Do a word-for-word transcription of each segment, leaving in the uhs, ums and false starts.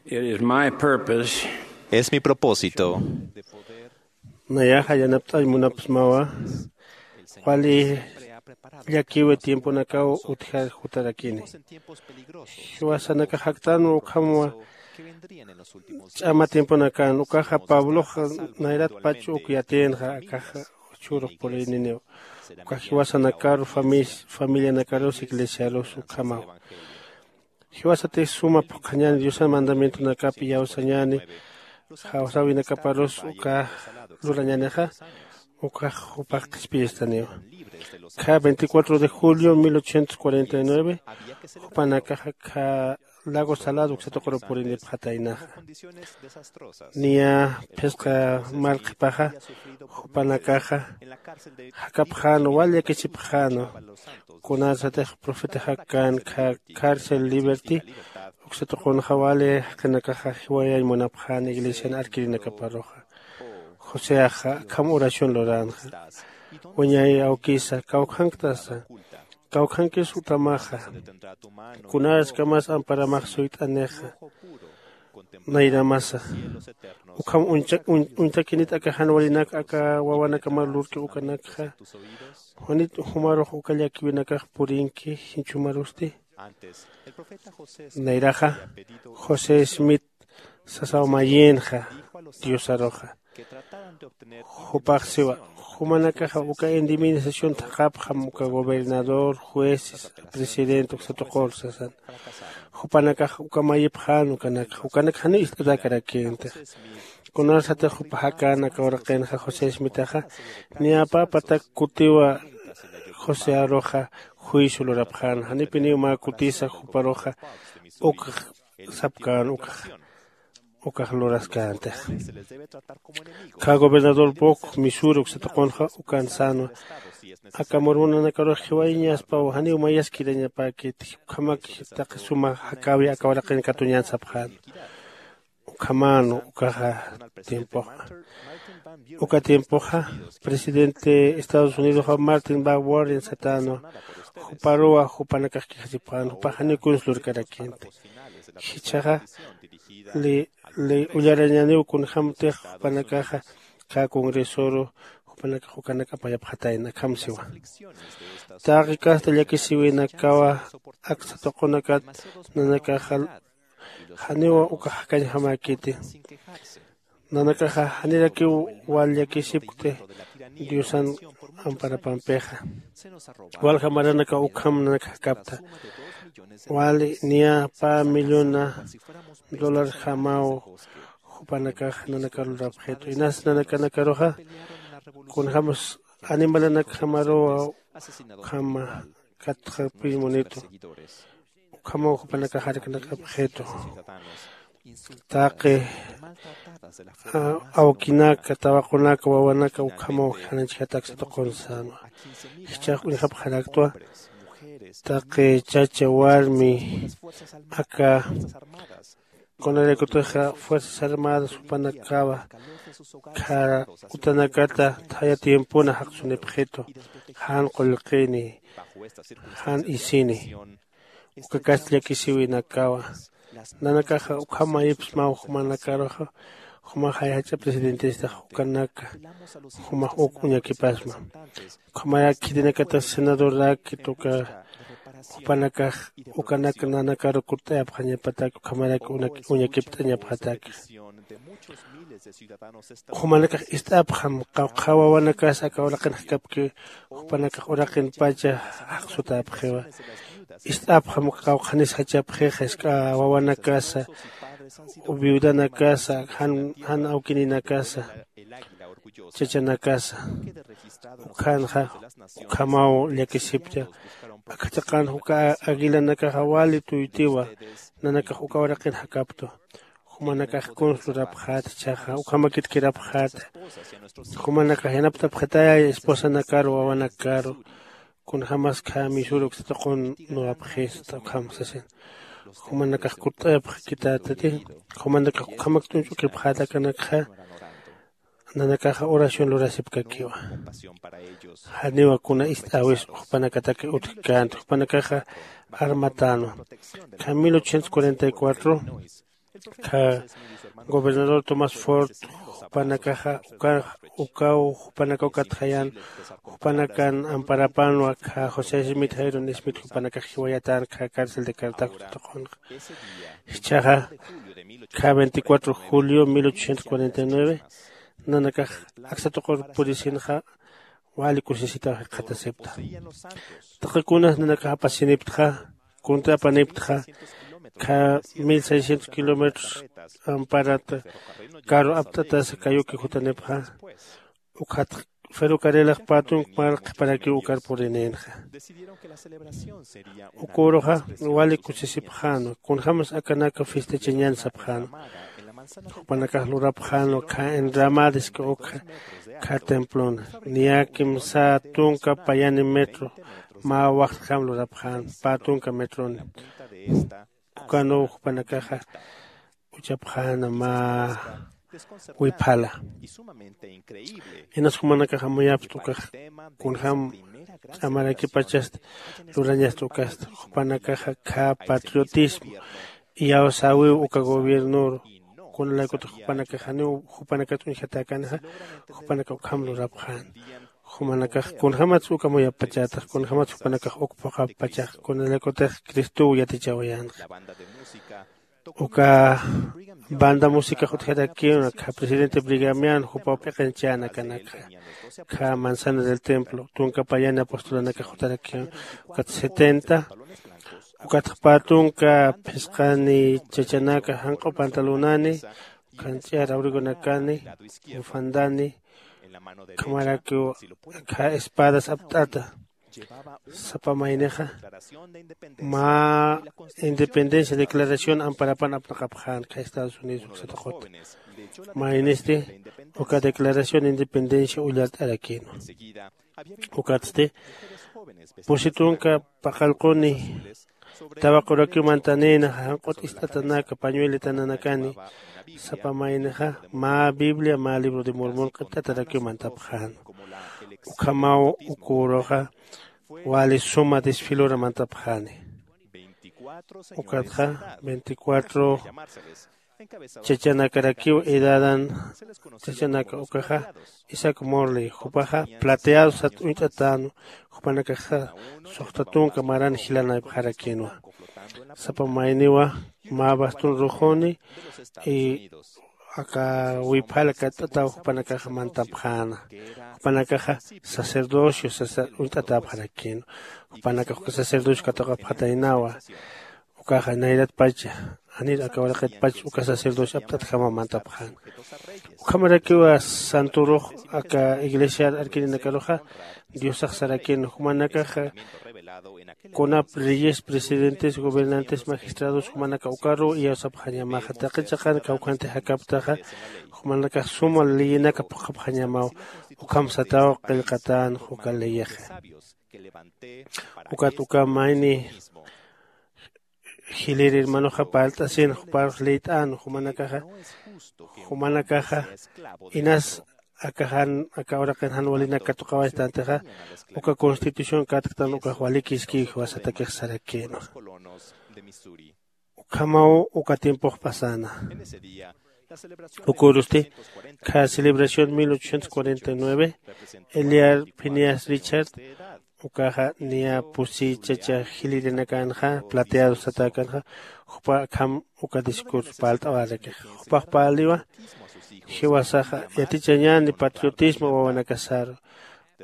It is my purpose. Es mi propósito. Nayaxa yanapt'añ munapsmawa. Wali llakiwi tiemponakaw utjar jutarakini. Jiwasanakax jaktanwa ukhamwa ch'ama tiemponakan ukaxa pabloxa nayrat pach uk yatïnxa akaxa chhurux purininiw. Uka jiwasanakaru familianakarus iglesiarus ukhamaw. Jiwasatix suma phuqhañäni diosan mandamientonakap iyawsañäni jawsäwinakaparus uka lurañänixa. Ukax jupax qhispiyistaniwa. Kha veinticuatro de julio mil ochocientos cuarenta y nueve jupanakaxa kha lago salado uksatuquru purinipxataynaxa. Niya phisqa marqhipaxa jupanakaxa jakapxänwa wal llakisipxänwa. Kunarsatix profetaxakkän kha cárcel liberty uksatuqunxa wali jaqinakaxa jiwayañ munapxän iglesian arkirinakaparuxa. Joseaxa akham oración luränxa. Wiñay awkisa kawkhanktasa? Kawkhankis utamaxa? Kunaraskamas amparamax suyt'anixa? Nayramasa ukham uñtakinit aka jan walinak aka wawanakamar lurki ukanakxa? Juanit jumarux uka llakiwinakax purinki jinchumarusti? Nayraxa josé smith sasaw mayïnxa diosaruxa. Jupax siwa jumanakaxa uka indemnización thaqhapxam uka gobernador jueces presidente uksatuqur sasan. Jupanakax uka mayipxän ukanakxa ukanak janiw ist'atäkarakïntix. Kunarsatix jupaxakän aka uraqinxa josé smitaxa niyapäpatak kutiwa josé aruxa juicio lurapxän janipiniw mä kutisa juparuxa. Ukax sapkän ukax ukax luraskäntixa. Kha gobernador pok misura uksatuqunxa ukan sänwa. Aka murmunanakarux jiwayañaspaw janiw mayaskirañapäkiti ukhamak taqi suma jakäwi aka uraqin katuñän sapxän. Ukhamänwa ukaxa tiempoxa uka tiempoxa presidente estados unidoxa martin bawarden satänwa. Juparuwa jupanakax kijasipxän jupax janiw kuns lurkarakïnti. Jichhaxa li ullarañäniw kunjämtix jupanakaxa kä congresoru jupanakax ukanak apayapxatayna akham siwa. Taqi kasta llakisïwinakawa aksa tuqunakat nanakaxa janiwa uka jakañjamäkiti. Nanakaxa janirakiw wal llakisipkti diosan amparapampixa. Walja maranakaw ukham nanaka jakapta wali niya pä millona dolarjamaw. Jupanakax nanakar lurapxitu inas nanakanakaruxa kunjämas animalanakjamaruwa ukhama katxapï munitu. Ukhamaw jupanakax jarknaqapxitu taqi awkinaka tawaqunaka wawanaka ukhamaw janañchjat aksa tuqun sänwa. Jichhax uñjapxaraktwa taqi chacha warmi aka kunaraykutixa fuerzas armadas jupanakawa khara utanakata thaya tiempona jaqsunipxitu jan qullqini jan isini uka kasta llakisiwinakawa. Nanakaxa ukham mayipsmaw jumanakaruxa jumax jay jach'a presidentestax ukanaka jumax uk uñakipasma. Ukhamarak khitinakata senadorraki tuka jupanakax ukanak nanakaru kutt'ayapxañapatak ukhamarak uñakipt'añapxataki. Jumanakax ist'apxam qawqha wawanakasa aka uraqin jakapki jupanakax uraqinpacha jaqsutäpxiwa. Ist'apxam qawqhanis jachapxixa isk'a wawanakasa viudanakasa jan awkininakasa chachanakasa. Ukhanxa ukhamaw llakisipcha. Akhachiqan uka aguilanakaxa wali tuytiwa nanakax uka uraqin jakaptu. Jumanakax kuns lurapxäta ichhaxa ukhamakit kirapxäta. Jumanakax yanaptapxatayay esposanakaru wawanakaru kunjämas khä misura uksa tuqun nuwapxista ukham sasin. Jumanakax kutt'ayapxkitätati. Jumanakax ukhamak t'uñch'ukipxäta akanakxa nanakaxa oración lurasipkakiwa. Janiwa kuna ist'äwis jupanakataki utjkänti jupanakaxa armatänwa. Kha mil ochocientos cuarenta y cuatro Kha gobernador Thomas Ford, jupanakaxa uka ukaw jupanakaw katxayan, jupanakan amparapanwa kha José Smith Jairon Smith jupanakax jiwayatan kha cárcel de Cartago tuqunxa. Jichhaxa kha veinticuatro julio mil ochocientos cuarenta y nueve nanakax aksa tuqur purisinxa wali kusisitaw jikxatasipta. Taqi kunas nanakax apasiniptxa, kunta apaniptxa kha mil seiscientos kilómetros amparat karu apt'atasa kayuki jutanipxa. Ukhat ferrocarrilax patunk mal qhiparakiw ukar purininxa. Ukuruxa wali kusisipxänwa kunjämas akanaka fistachañän sapxänwa. Jupanakax lurapxänwa kha enramades ukxa kha templona niya kimsa tunka payani metro mä waxtjam lurapxän pä tunka metroni. Ukanuw jupanakaxa uchapxäna mä wiphala. Inas jumanakax amuyapxta ukax kunjäm ch'amarakipachasta lurañasta ukasta jupanakaxa khä patriotismo iyawsäwiw uka gobiernoru. Kunalaykutix jupanakax janiw jupanakat uñjatäkänxa jupanakax ukham lurapxän. Jumanakax kunjämatsa uk amuyapxpachatix kunjämatsa jupanakax uk phuqhapxpachax kunalaykutix cristow yatichawayänxa. Uka banda musicax utjarakiw akha presidente brigamian jupaw p'iqinchäna kanakxa. Kha manzana del templo tunka payani apostolanakax jutarakiw ukat setenta. Ukatxa pä tunka phisqani chachanaka janq'u pantalonani ukhanch'iyar abrigonakani bufandani ukhamarakiw akha espadas apt'ata. Sapa maynixa mä independencia declaración amparapan apnaqapxän kha estados unidos uksataqut maynisti uka declaración independencia ullart'arakïnwa. Ukatsti pusi tunka paqallquni tawaqurakiw mantanïna janq'ut ist'atanaka pañuelitananakani sapa maynixa mä biblia mä libro de mormon q'ipt'atarakiw mantapxän. Ukhamaw uküruxa wali suma desfilura mantapxäni. Ukatxa veinticuatro chachanakarakiw edadan chachanaka ukaxa isaac morley jupaxa plateado sat uñt'atänwa. Jupanakaxa suxta tunka maran jilanaypxarakïnwa. Sapa mayniwa mä bastón rojoni y aka wiphala katt'ataw jupanakaxa mantapxäna. Jupanakaxa sacerdocio uñt'atäpxarakïnwa. Jupanakax uka sacerdocio katuqapxataynawa. Ukaxa nayratpacha janir aka uraqitpacha uka sacerdocio apt'atjama mantapxäna. Ukhamarakiwa santurux aka iglesiar arkirinakaruxa diosax sarakïnwa jumanakaxa kunap reyes presidentes gobernantes magistrados jumanaka ukaruw iyawsapxañamaxa taqi chiqan kawkhanti jakaptaxa. Jumanakax suma leyinaka phuqhapxañamaw ukham sataw qillqatän uka leyixa. Ukat uka mayni jilïr hermanoxa parlt'asin juparux leyt'än jumanakaxa jumanakaxa inas aka jan aka uraqin jan walinak katuqawaystantixa uka constitución katktan ukax walikiskiw jiwasatakix sarakïnwa. Ukhamaw uka tiempox pasana. Ukürusti kha celebración mil ochocientos cuarenta y nueve eliar phineas richard ukaxa niya pusi chacha jilïrinakanxa plateado satäkanxa jupa akham uka discurso parlt'awarakix jupax parliwa. Jiwasaxa yatichañäni patriotismo wawanakasaru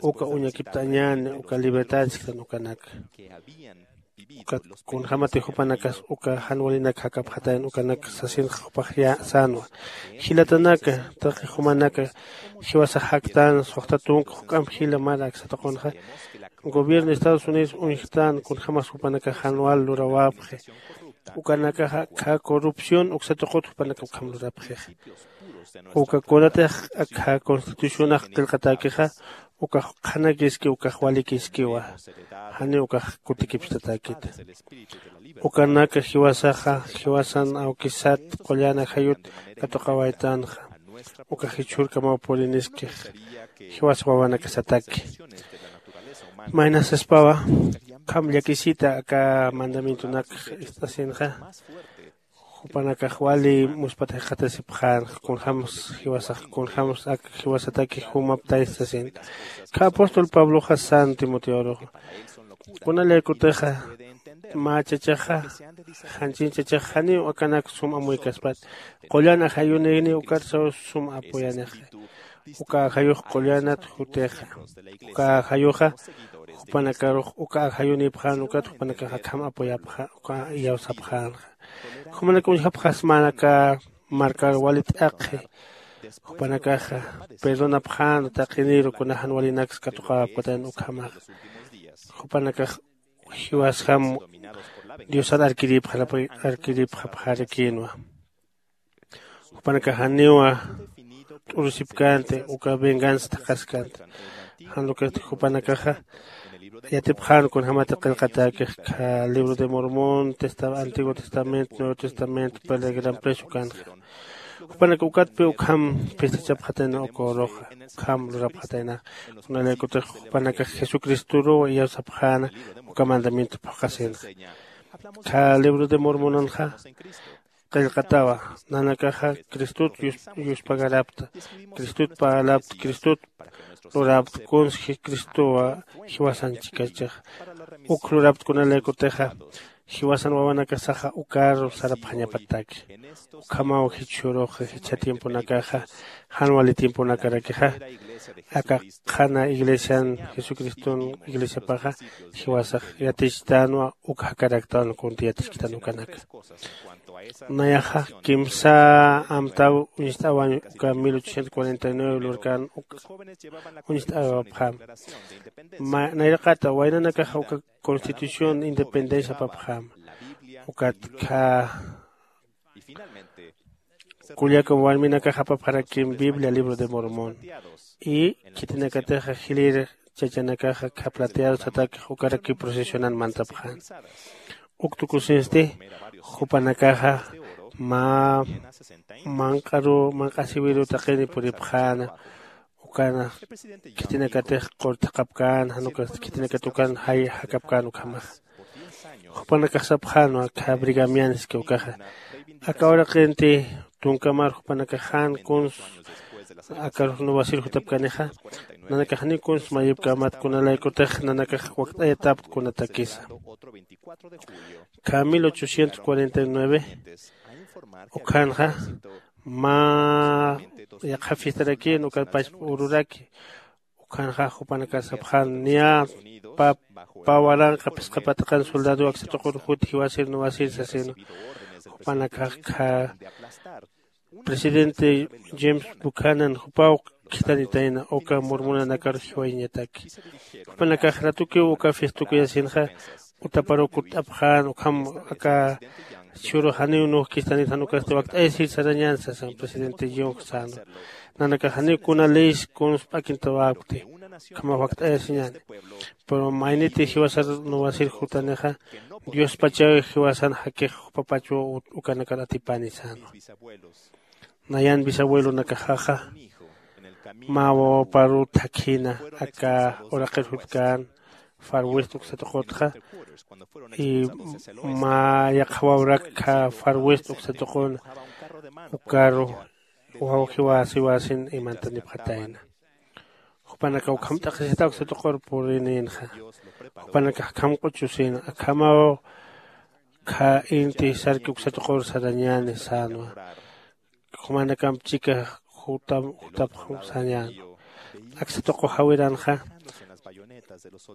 uka uñakipt'añäni uka libertad sikstan ukanaka. Ukat kunjämati jupanakas uka jan walinak jakapxatayan ukanak sasinxa jupax sänwa. Jilatanaka taqi jumanaka jiwasax jaktän suxta tunka juk'amp jila mar aksa tuqunxa gobierno estados unidos uñjtän kunjämas jupanakax jan wal lurawäpxi. Ukanakaxa khä corrupción uksa tuqut jupanaka ukham lurapxixa. Uka kunatix akhä constitucionax qillqatäkixa ukax qhanakiski ukax walikiskiwa. Janiw ukax kutikipstatäkita. Ukanaka jiwasaxa jiwasan awkisat qullan ajayut katuqawaytanxa ukax jichhürkamaw puriniskix jiwas wawanakasataki. Maynas saspawa ukham llakisita aka mandamientonakx ist'asinxa Jupanakax wali muspat jikxatasipxän kunjämsa jiwasax kunjämsa ak jiwasataki jumaptaysa sasin. Kha apóstol pabloxa san timoteoruxa kunalaykutixa mä chachaxa janchin chachaxa janiw akanak sum amuykaspat qullan ajayunïni ukarsaw sum apuyanixa. Uka ajayux qullanat jutixa uka ajayuxa jupanakarux uka ajayunïpxän ukat jupanakax akham apuyapxä uka iyawsapxänxa. Jumanak uñjapxasmänaka markar wali t'aqhi jupanakaxa perdonapxän taqiniru kuna jan walinaksa katuqäwapkatayna ukhamaxa. Jupanakax jiwasjam diosar arkiripxarapxarakïnwa. Jupanakax janiwa t'urusipkänti uka venganza thaqhaskänti. Jan ukasti jupanakaxa yatipxän kunjämati qillqatäkix kha libro de mormón, antiguo testamento, nuevo testamento, pelegram precio kanxa. Jupanak ukatpi ukham pistachapxatayna uka uruxa ukham lurapxatayna. Kunalaykutix jupanakax jesucristoruw iyawsapxäna uka mandamiento phuqhasinxa. Kha libro de mormonanxa qillqatawa nanakaxa cristot yuspagarapta, cristot parlapta, cristot lurapta kuns cristowa jiwasan chikachixa. Uk lurapta kunalaykutixa jiwasan wawanakasaxa ukaru sarapxañapataki. Ukhamaw jichhürux jichha tiemponakaxa jan wali tiemponakarakixa aka qhana iglesian jesucriston iglesiapaxa jiwasax yatichtänwa uk jakaraktan kunti yatichkitan ukanaka. Nayaxa kimsa amtaw uñst'awañ uka mil ochocientos cuarenta y nueve lurkan uk uñst'awapxam. Nayraqata waynanakaxa uka constitución independencia apapxam. Ukat kha kullaka warminakax apapxarakim biblia libro de mormón. Y khitinakatixa jilïr chachanakaxa kha plateado satakix ukaraki procesionan mantapxän. Uk tukusinsti jupanakaxa mä manq'aru manq'asiwiru taqini puripxäna. Ukana khitinakatix qurthaqapkän jan ukasti khitinakat ukan jay jakapkän ukhamaxa. Jupanakax sapxänwa kha brigamianski ukaxa aka uraqinti tunkamar jupanakax jan kuns akarux nuwasir jutapkanixa. Nanakax janiw kuns mayipkämat kunalaykutix nanakax wakt'ayatapt kunatakisa. Kha mil ochocientos cuarenta y nueve ukhanxa mä yaqha fiestarakïn ukat pachpa ururaki. Ukhanxa jupanakax sapxän niya pä waranqa phisqa patakan soldado aksa tuqur jut jiwasir nuwasir sasïnwa. Jupanakax kha presidente james bukhanan jupaw khithanitayna uka murmunanakar jiwayañataki. Jupanakax ratukiw uka fistukuyasinxa utaparuw kutt'apxän ukham aka chhuru janiw nuj khithanit jan ukasti wakt'ayasir sarañän sasan presidente jung sänwa. Nanakax janiw kuna leyes kuns p'akintawäpkti ukhamax wakt'ayasiñäni. Pero mayniti jiwasar nuwasir jutanixa diospachaw jiwasan jakix jupapachwa ukanakar atipani sänwa. Nayan bisabuelonakaxaxa mä wawaparu thakjina aka uraqir jutkän farwest uksatuqutxa. Y mä yaqha wawrak kha farwest uksatuquna ukaru waw jiwasiwasin imantanipxatayna. Jupanakax ukham t'aqhisita uksatuqur purinïnxa. Jupanakax akham q'uchusïna akhamaw kha inti sarki uksatuqur sarañäni sänwa. Jumanakamp chika jutapxam sañänwa. Aksa tuqu jawiranxa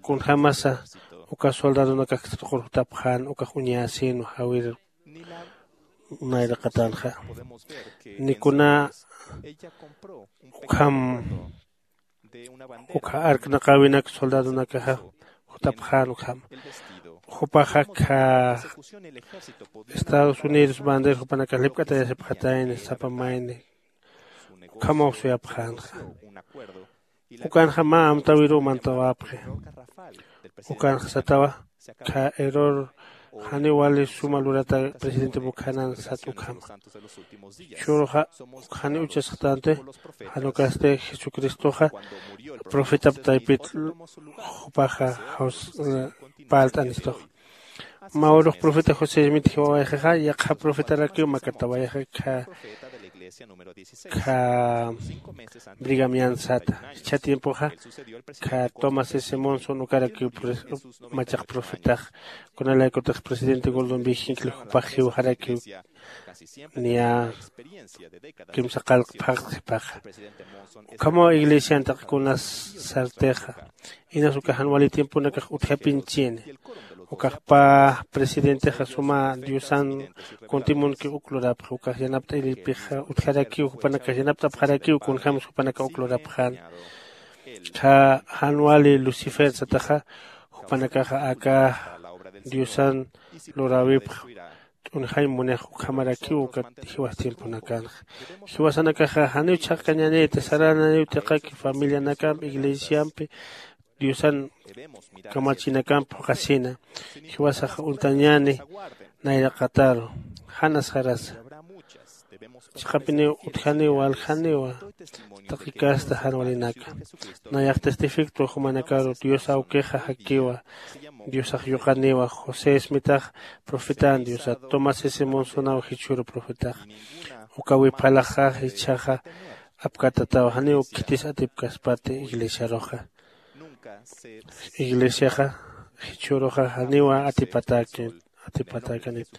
kunjämasa uka soldadonakax aksa tuqur jutapxän ukax uñasïnwa jawir nayraqatanxa. Nikuna ukham ukha arknaqäwinak soldadonakaxa jutapxän ukham. Jupaxa kha estados unidos bandera jupanakax lipk'atayasipxatayni sapa mayni ukhamaw suyapxänxa. Ukanxa mä amtäwiruw mantawapxi. Ukanxa satawa kha error janiw wali suma lurata presidente bukhanan sat ukhama. Chhuruxa uk janiw uchasxtanti jan ukasti jesucristoxa profetap taypit jupaxa parlt'anistux. Mä urux profeta josé smith jiwawayxixa yaqha profetarakiw makatawayxa kha kha brigamian sata. Jichha tiempoxa kha tomás s monson ukarakiw machaq profetax kunalaykutix presidente goldon viginkli jupax jiwxarakiw niya kimsa qalq phaqtxipaxa. Ukhamaw iglesian taqi kunas sartixa inas uka jan wali tiemponakax utjapinchini. Ukax pä presidentexa suma diosan kuntimunki uk lurapxa ukax yanapt'ayllpixa utjarakiw jupanakax yanapt'apxarakiw kunjämsa jupanakax uk lurapxäna. Jan wali lucifer sataxa jupanakaxa aka diosan luräwipxa t'unjañ munix ukhamarakiw ukat jiwas tiemponakanxa. Jiwasanakaxa janiw chhaqkañäniti sarananiw tiqaki familianakampi iglesiampi diosan kamachinakampi phuqhasina. Jiwasaxa untañäni nayraqataru jan asxarasa. Chiqapiniw utjaniw waljaniwa taqi casta jan walinaka. Nayax testificto jumanakaru dios awkixa jakiwa. Diosax yuqaniwa josé smitax profetan diosat tomás s monsonaw jichhüru profetax. Uka wipxalaxa jichhaxa apkatataw janiw khitis atipkaspati iglesiaruxa. Iglesiaxa jichhüruxa janiwa atipatäki atipatäkanit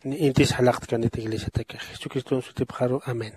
ni intis jalaqtkanit iglesiatakix jesucriston sutipxaru amén.